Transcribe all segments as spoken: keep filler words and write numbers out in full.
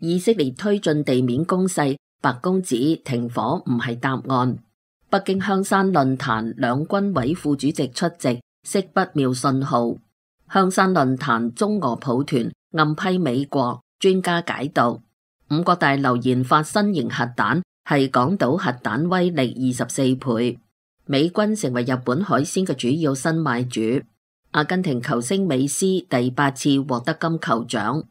以色列推進地面攻勢，白宮指停火唔係答案。北京香山論壇兩軍委副主席出席，釋不妙信號。香山論壇中俄抱團暗批美國，專家解讀五角大樓研發新型核彈係港島核彈威力二十四倍。美軍成為日本海鮮嘅主要新賣主。阿根廷球星美斯第八次獲得金球獎。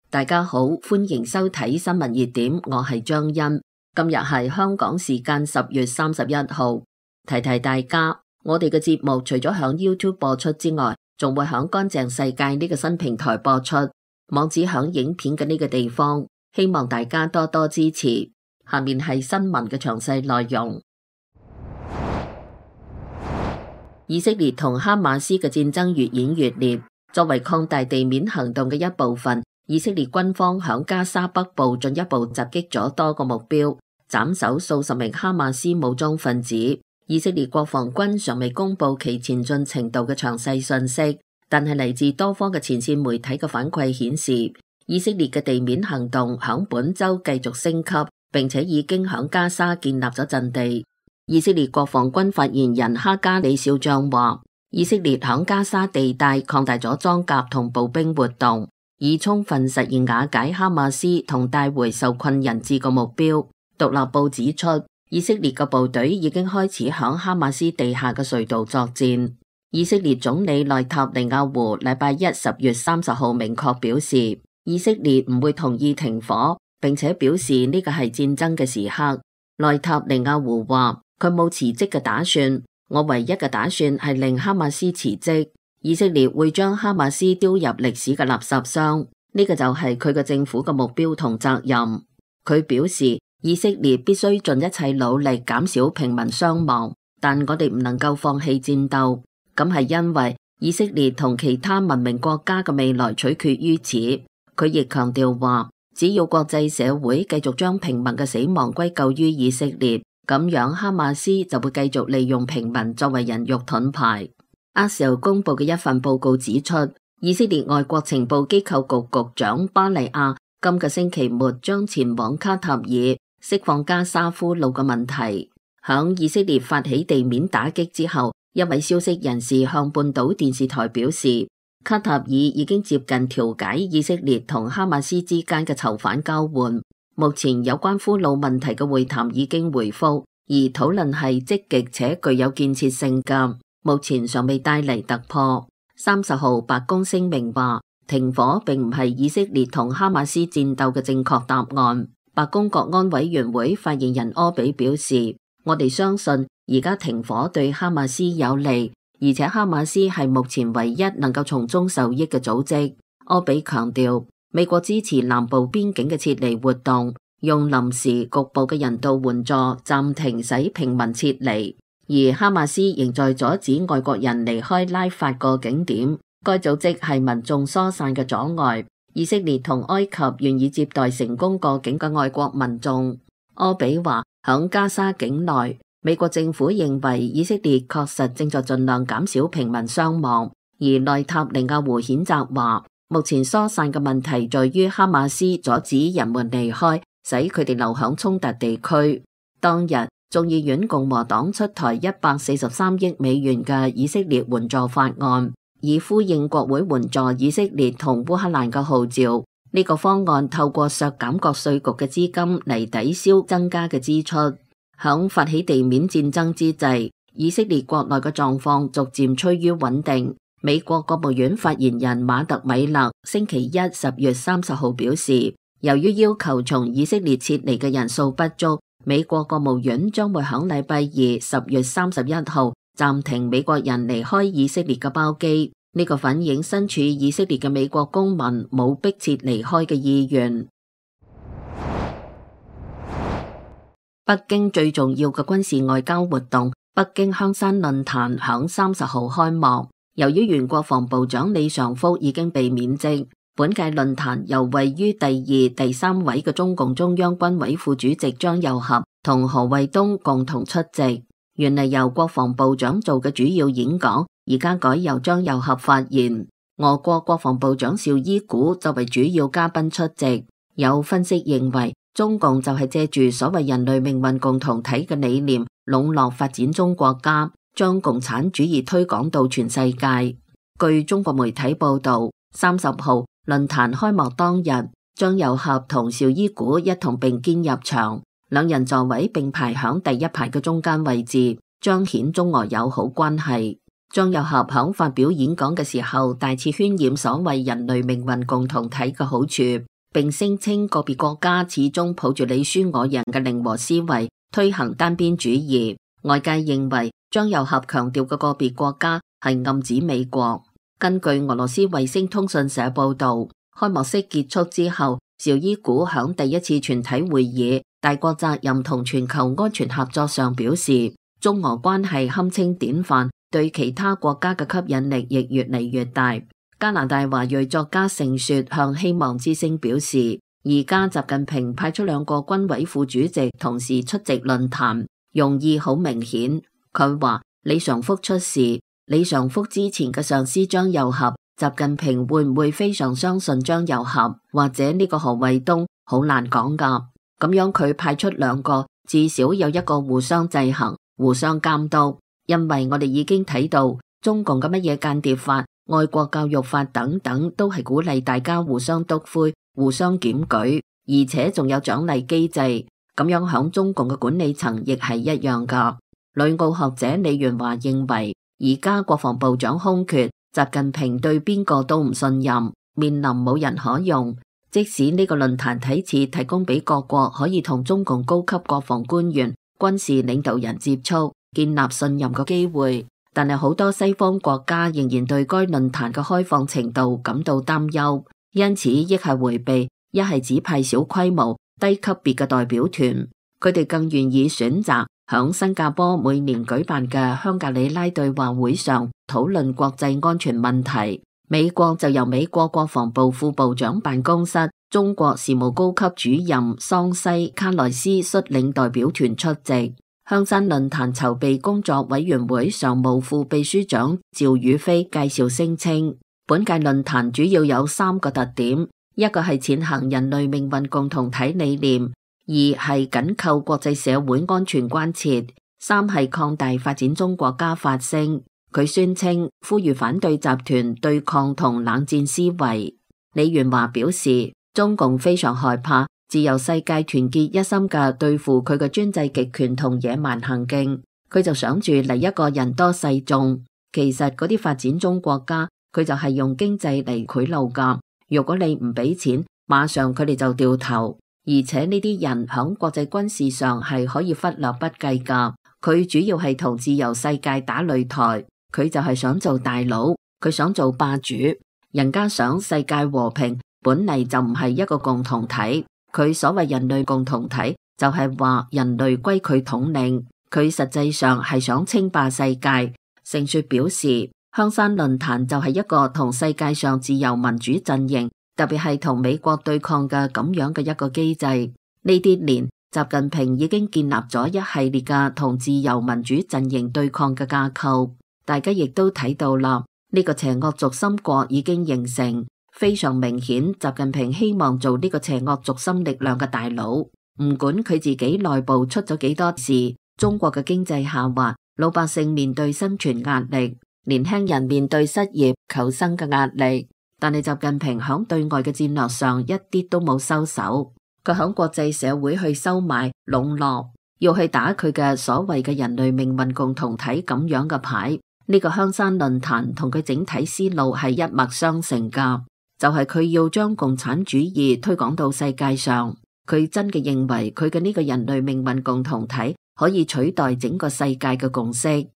大家好，歡迎收睇新聞熱點，我係張欣。今日係香港時間十月三十一號。提提大家，我哋嘅節目除咗響 YouTube 播出之外，仲會響乾淨世界呢個新平台播出，網址響影片嘅呢個地方，希望大家多多支持。下面係新聞嘅詳細內容。以色列同哈馬斯嘅戰爭越演越烈，作為擴大地面行動嘅一部分，以色列軍方響加沙北部進一步襲擊咗多個目標，斬首數十名哈馬斯武裝分子。以色列國防軍尚未公布其前進程度嘅詳細信息，但係嚟自多方嘅前線媒體嘅反饋顯示，以色列嘅地面行動響本周繼續升級，並且已經響加沙建立咗陣地。以色列國防軍發言人哈加里少將話，以色列響加沙地帶擴大咗裝甲同步兵活動，以充分實現瓦解哈馬斯同帶回受困人質嘅目標。獨立報指出，以色列嘅部隊已經開始響哈馬斯地下嘅隧道作戰。以色列總理內塔尼亞胡禮拜一十月三十號明確表示，以色列唔會同意停火，並且表示呢個係戰爭嘅時刻。內塔尼亞胡話，佢冇辭職嘅打算，我唯一嘅打算係令哈馬斯辭職。以色列會將哈馬斯丟入歷史嘅垃圾箱，呢個就係佢嘅政府嘅目標同責任。佢表示，以色列必須盡一切努力減少平民傷亡，但我哋唔能夠放棄戰鬥。咁係因為以色列同其他文明國家嘅未來取決於此。佢亦強調話，只要國際社會繼續將平民嘅死亡歸咎於以色列，咁樣哈馬斯就會繼續利用平民作為人肉盾牌。阿時公布嘅一份報告指出，以色列外國情報機構局局長巴利亞今個星期末將前往卡塔爾釋放加沙俘虜嘅問題。響以色列發起地面打擊之後，一位消息人士向半島電視台表示，卡塔爾已經接近調解以色列同哈馬斯之間嘅囚犯交換。目前有關俘虜問題嘅會談已經回復，而討論係積極且具有建設性嘅，目前尚未帶嚟突破。三十號白宮聲明話，停火並唔係以色列同哈馬斯戰鬥嘅正確答案。白宮國安委員會發言人柯比表示，我哋相信而家停火對哈馬斯有利，而且哈馬斯係目前唯一能夠從中受益嘅組織。柯比強調，美國支持南部邊境嘅撤離活動，用臨時局部嘅人道援助暫停使平民撤離，而哈馬斯仍在阻止外國人離開拉法個景點。該組織係民眾疏散嘅阻礙。以色列同埃及願意接待成功過境嘅外國民眾。柯比話，響加沙境內，美國政府認為以色列確實正在盡量減少平民傷亡，而內塔尼亞胡譴責話，目前疏散嘅問題在於哈馬斯阻止人們離開，使佢哋留響衝突地區。當日，眾議院共和黨出台一百四十三億美元嘅以色列援助法案，以呼應國會援助以色列同烏克蘭嘅號召。呢個方案透過削減各稅局嘅資金嚟抵消增加嘅支出。響發起地面戰爭之際，以色列國內嘅狀況逐漸趨於穩定。美國國務院發言人馬特米勒星期一十月三十號表示，由於要求從以色列撤離嘅人數不足，美國國務院將會響禮拜二十月三十一號暫停美國人離開以色列嘅包機。呢個反映身處以色列嘅美國公民冇迫切離開嘅意願。北京最重要嘅軍事外交活動北京香山論壇響三十號開幕。由於原國防部長李尚福已經被免職，本屆論壇由位於第二、第三位嘅中共中央軍委副主席張又俠同何衛東共同出席。原嚟由國防部長做嘅主要演講而家改由張又俠發言。俄國國防部長紹伊古作為主要嘉賓出席。有分析認為，中共就係借住所謂人類命運共同體嘅理念，籠絡發展中國家，將共產主義推廣到全世界。據中國媒體報道，三十號論壇開幕當日，張又俠同紹伊古一同並肩入場，兩人座位並排響第一排嘅中間位置，彰顯中俄友好關係。張又俠響發表演講嘅時候，大肆渲染所謂人類命運共同體嘅好處，並聲稱個別國家始終抱住你輸我贏嘅零和思維，推行單邊主義。外界認為張又俠強調嘅個別國家係暗指美國。根據俄羅斯衛星通訊社報道，開幕式結束之後，紹伊古響第一次全體會議大國責任同全球安全合作上表示，中俄關係堪稱典範，對其他國家嘅吸引力亦越嚟越大。加拿大華裔作家盛雪向希望之聲表示，而家習近平派出兩個軍委副主席同時出席論壇，用意好明顯。佢話李尚福出事，李尚福之前嘅上司張又俠，習近平會唔會非常相信張又俠或者呢個何衛東，好難講噶。咁樣佢派出兩個，至少有一個互相制衡、互相監督。因為我哋已經睇到中共嘅乜嘢間諜法、愛國教育法等等，都係鼓勵大家互相督灰、互相檢舉，而且仲有獎勵機制。咁樣響中共嘅管理層亦係一樣噶。旅澳學者李元華認為，而家國防部長空缺，習近平對邊個都唔信任，面臨冇人可用。即使呢個論壇睇似提供俾各國可以同中共高級國防官員、軍事領導人接觸，建立信任嘅機會，但係好多西方國家仍然對該論壇嘅開放程度感到擔憂，因此一係回避，一係只派小規模、低級別嘅代表團。佢哋更願意選擇響新加坡每年舉辦嘅香格里拉對話會上討論國際安全問題。美國就由美國國防部副部長辦公室中國事務高級主任桑西卡萊斯率領代表團出席。香山論壇籌備工作委員會常務副秘書長趙宇飛介紹聲稱，本屆論壇主要有三個特點：一個係踐行人類命運共同體理念；二係緊扣國際社會安全關切；三係擴大發展中國家發聲。佢宣稱呼籲反對集團對抗同冷戰思維。李元華表示，中共非常害怕自由世界團結一心嘅對付佢嘅專制極權同野蠻行徑，佢就想住嚟一個人多勢眾。其實嗰啲發展中國家，佢就係用經濟嚟賄賂噶。如果你唔俾錢，馬上佢哋就掉頭。而且呢啲人響國際軍事上係可以忽略不計噶。佢主要係同自由世界打擂台。佢就係想做大佬，佢想做霸主，人家想世界和平，本嚟就唔係一個共同體。佢所謂人類共同體，就係話人類歸佢統領，佢實際上係想稱霸世界。盛雪表示，香山論壇就係一個同世界上自由民主陣營，特別係同美國對抗嘅咁樣嘅一個機制。呢啲年，習近平已經建立咗一系列嘅同自由民主陣營對抗嘅架構。大家亦都睇到啦，呢個邪惡軸心國已經形成，非常明顯。習近平希望做呢個邪惡軸心力量嘅大佬，唔管佢自己內部出咗幾多事，中國嘅經濟下滑，老百姓面對生存壓力，年輕人面對失業求生嘅壓力，但係習近平響對外嘅戰略上一啲都冇收手，佢響國際社會去收買籠絡，要去打佢嘅所謂嘅人類命運共同體咁樣嘅牌。呢個香山論壇同佢整體思路係一脈相承噶，就係佢要將共產主義推廣到世界上。佢真嘅認為佢嘅呢個人類命運共同體可以取代整個世界嘅共識。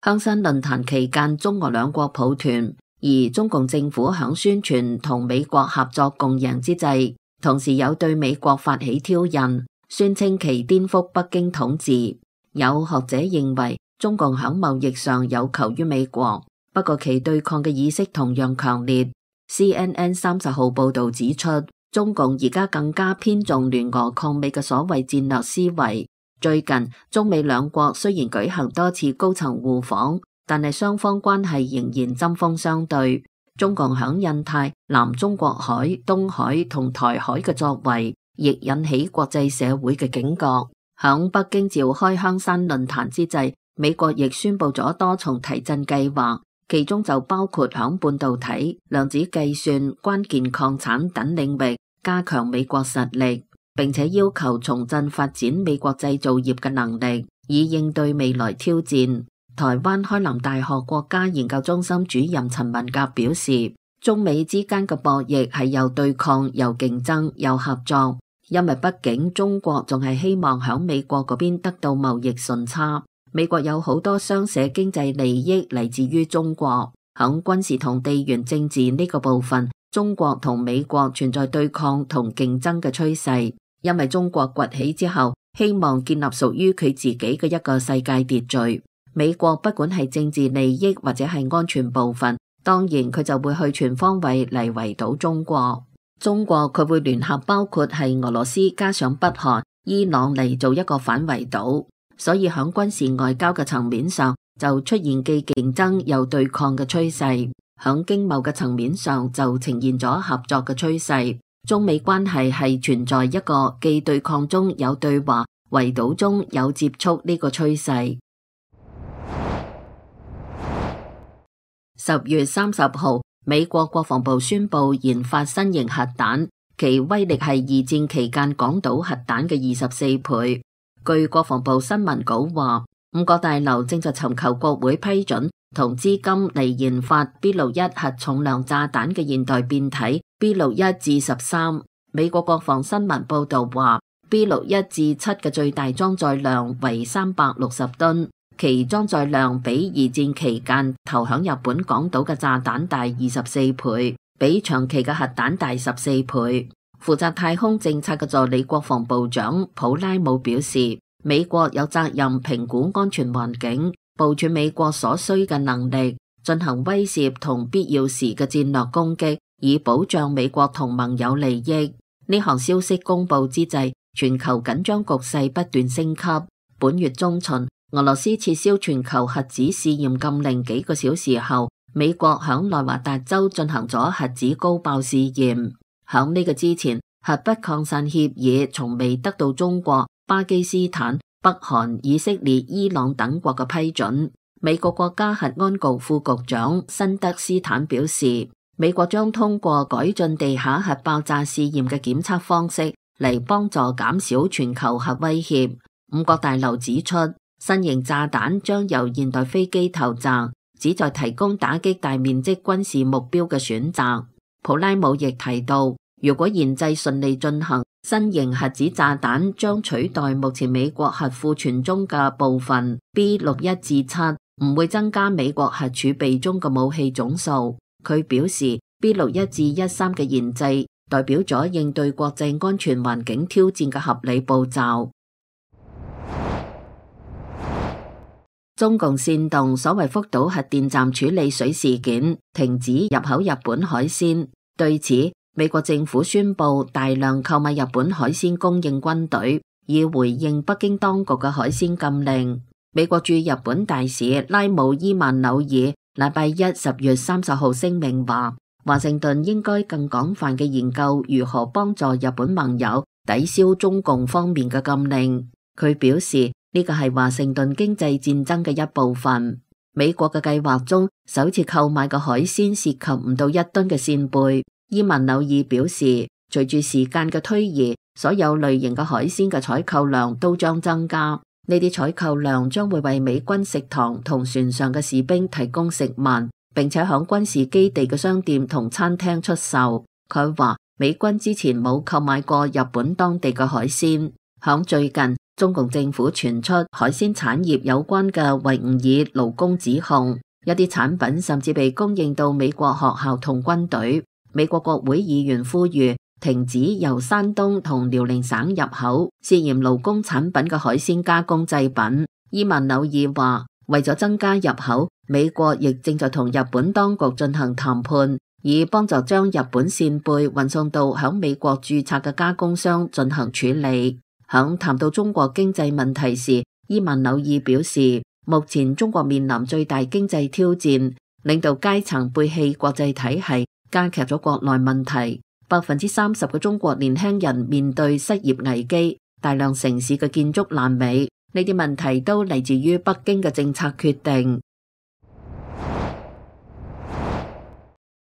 香山論壇期間，中俄兩國抱團，而中共政府響宣傳同美國合作共贏之際，同時有對美國發起挑釁，宣稱其顛覆北京統治。有學者認為，中共響貿易上有求於美國，不過其對抗嘅意識同樣強烈。C N N 三十號報道指出，中共而家更加偏重聯俄抗美嘅所謂戰略思維，最近中美兩國雖然舉行多次高層互訪，但係雙方關係仍然針鋒相對。中共響印太、南中國海、東海同台海嘅作為，亦引起國際社會嘅警覺。響北京召開香山論壇之際，美國亦宣布咗多重提振計劃，其中就包括響半導體、量子計算、關鍵礦產等領域加強美國實力，並且要求重振發展美國製造業嘅能力，以應對未來挑戰。台灣開南大學國家研究中心主任陳文革表示，中美之間嘅博弈係又對抗又競爭又合作。因為畢竟中國仲係希望響美國嗰邊得到貿易順差，美國有好多雙寫經濟利益嚟自於中國。響軍事同地緣政治呢個部分，中國同美國存在對抗同競爭嘅趨勢。因為中國崛起之後，希望建立屬於佢自己嘅一個世界秩序。美國不管係政治利益或者係安全部分，當然佢就會去全方位嚟圍堵中國。中國佢會聯合包括係俄羅斯加上北韓、伊朗嚟做一個反圍堵，所以響軍事外交嘅層面上就出現既競爭又對抗嘅趨勢，響經貿嘅層面上就呈現咗合作嘅趨勢。中美關係係存在一個既對抗中有對話、圍堵中有接觸呢個趨勢。十月三十號，美國國防部宣布研發新型核彈，其威力係二戰期間廣島核彈嘅二十四倍。據國防部新聞稿話，五角大樓正在尋求國會批准同資金嚟研發 B 六一核重量炸彈嘅現代變體 B 六一至十三。美國國防新聞報道話 ，B 六一至七嘅最大裝載量為三百六十噸。其裝載量比二戰期間投響日本廣島嘅炸彈大二十四倍，比長期嘅核彈大十四倍。負責太空政策嘅助理國防部長普拉姆表示，美國有責任評估安全環境，部署美國所需嘅能力，進行威懾同必要時嘅戰略攻擊，以保障美國同盟友利益。呢項消息公布之際，全球緊張局勢不斷升級。本月中旬，俄羅斯撤銷全球核子試驗禁令幾個小時後，美國響內華達州進行咗核子高爆試驗。響呢個之前，核不擴散協議從未得到中國、巴基斯坦、北韓、以色列、伊朗等國嘅批准。美國國家核安局副局長辛德斯坦表示，美國將通過改進地下核爆炸試驗嘅檢測方式嚟幫助減少全球核威脅。五角大樓指出，新型炸彈將由現代飛機投擲，旨在提供打擊大面積軍事目標嘅選擇。普拉姆亦提到，如果研製順利進行，新型核子炸彈將取代目前美國核庫存中嘅部分 B 六一至七，唔會增加美國核儲備中嘅武器總數。佢表示 B 六一至一三嘅研製代表咗應對國際安全環境挑戰嘅合理步驟。中共煽動所謂福島核電站處理水事件，停止入口日本海鮮。對此，美國政府宣布大量購買日本海鮮供應軍隊，以回應北京當局嘅海鮮禁令。美國駐日本大使拉姆伊曼紐爾禮拜一十月三十號聲明話，華盛頓應該更廣泛嘅研究如何幫助日本盟友抵消中共方面嘅禁令。佢表示，呢個係華盛頓經濟戰爭嘅一部分。美國嘅計劃中，首次購買嘅海鮮涉及唔到一噸嘅扇貝。伊曼紐爾表示，隨住時間嘅推移，所有類型嘅海鮮嘅採購量都將增加。呢啲採購量將會為美軍食堂同船上嘅士兵提供食物，並且響軍事基地嘅商店同餐廳出售。佢話，美軍之前冇購買過日本當地嘅海鮮。響最近，中共政府傳出海鮮產業有關嘅維吾爾勞工指控，一啲產品甚至被供應到美國學校同軍隊。美國國會議員呼籲停止由山東同遼寧省入口涉嫌勞工產品嘅海鮮加工製品。伊曼紐爾話，為咗增加入口，美國亦正在同日本當局進行談判，以幫助將日本扇貝運送到響美國註冊嘅加工商進行處理。響談到中國經濟問題時，伊萬紐爾表示，目前中國面臨最大經濟挑戰，領導階層背棄國際體系，加劇咗國內問題。百分之三十嘅中國年輕人面對失業危機，大量城市嘅建築爛尾，呢啲問題都嚟自於北京嘅政策決定。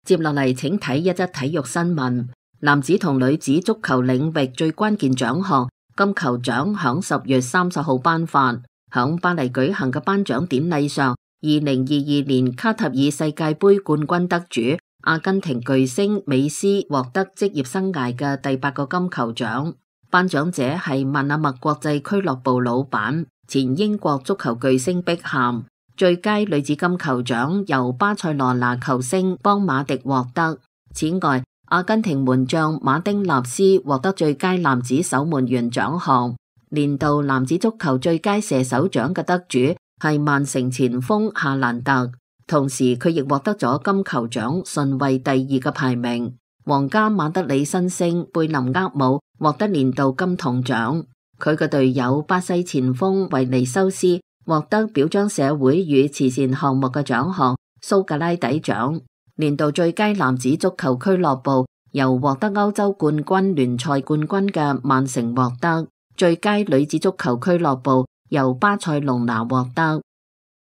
接落嚟，請睇一則體育新聞。男子同女子足球領域最關鍵獎項金球獎響十月三十號頒發。響巴黎舉行嘅頒獎典禮上，二零二二年卡塔爾世界盃冠軍得主阿根廷巨星美斯獲得職業生涯嘅第八個金球獎。頒獎者係萬阿默國際俱樂部老闆、前英國足球巨星碧咸。最佳女子金球獎由巴塞羅那球星邦馬迪獲得。此外，阿根廷門將馬丁納斯獲得最佳男子守門員獎項。年度男子足球最佳射手獎嘅得主係曼城前鋒夏蘭特，同時佢亦獲得咗金球獎順位第二嘅排名。皇家馬德里新星貝林厄姆獲得年度金童獎，佢嘅隊友巴西前鋒維尼修斯獲得表彰社會與慈善項目嘅獎項蘇格拉底獎。年度最佳男子足球俱樂部由獲得歐洲冠軍聯賽冠軍嘅曼城獲得。最佳女子足球俱樂部由巴塞隆拿獲得。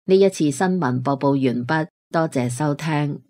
呢一次新聞播報完畢，多謝收聽。